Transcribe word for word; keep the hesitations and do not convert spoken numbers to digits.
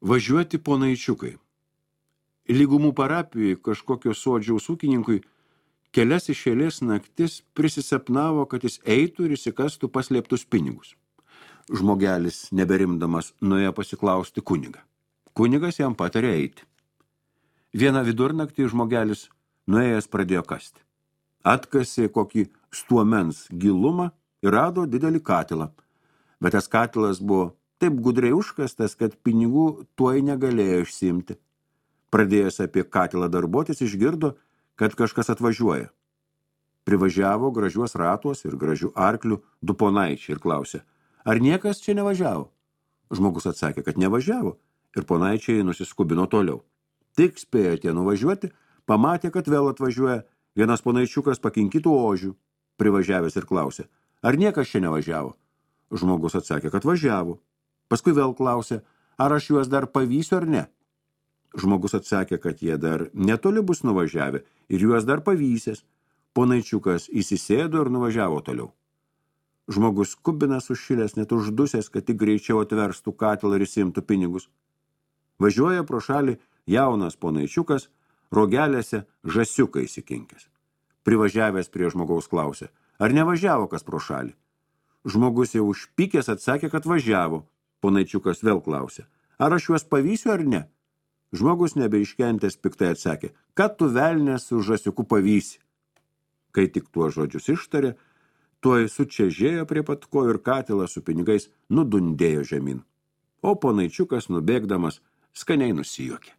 Važiuoti ponaičiukai. Lygumų parapijoje kažkokio sodžiaus ūkininkui kelias iš eilės naktis prisisapnavo, kad jis eitų ir įsikastų paslėptus pinigus. Žmogelis, neberimdamas, nuėjo pasiklausti kunigą. Kunigas jam patarė eiti. Vieną vidurnaktį žmogelis nuėjęs pradėjo kasti. Atkasė kokį stuomens gilumą ir rado didelį katilą. Bet tas katilas buvo taip gudriai užkastas, kad pinigų tuoj negalėjo išsiimti. Pradėjęs apie katilą darbuotis, išgirdo, kad kažkas atvažiuoja. Privažiavo gražiuos ratuos ir gražių arklių du ponaičiai ir klausė, ar niekas čia nevažiavo? Žmogus atsakė, kad nevažiavo, ir ponaičiai nusiskubino toliau. Tik spėjo tie nuvažiuoti, pamatė, kad vėl atvažiuoja, vienas ponaičiukas pakinkytų ožių. Privažiavęs ir klausė, ar niekas čia nevažiavo? Žmogus atsakė, kad važiavo. Paskui vėl klausė, ar aš juos dar pavysiu ar ne? Žmogus atsakė, kad jie dar netoli bus nuvažiavę ir juos dar pavysės. Ponaičiukas įsisėdo ir nuvažiavo toliau. Žmogus kubinas užšilęs, net uždusęs, kad tik greičiau atverstų katilą ir įsimtų pinigus. Važiuoja pro šalį jaunas ponaičiukas, rogelėse žasiuką įsikinkęs. Privažiavęs prie žmogaus klausė, ar nevažiavo kas pro šalį? Žmogus jau užpykęs atsakė, kad važiavo. Ponaičiukas vėl klausė, ar aš juos pavysiu ar ne? Žmogus nebeiškentęs piktai atsakė, kad tu velnės su žasiuku pavysi. Kai tik tuo žodžius ištarė, tuoj sučežėjo prie pat kojų ir katilą su pinigais nudundėjo žemyn. O ponaičiukas, nubėgdamas, skaniai nusijuokė.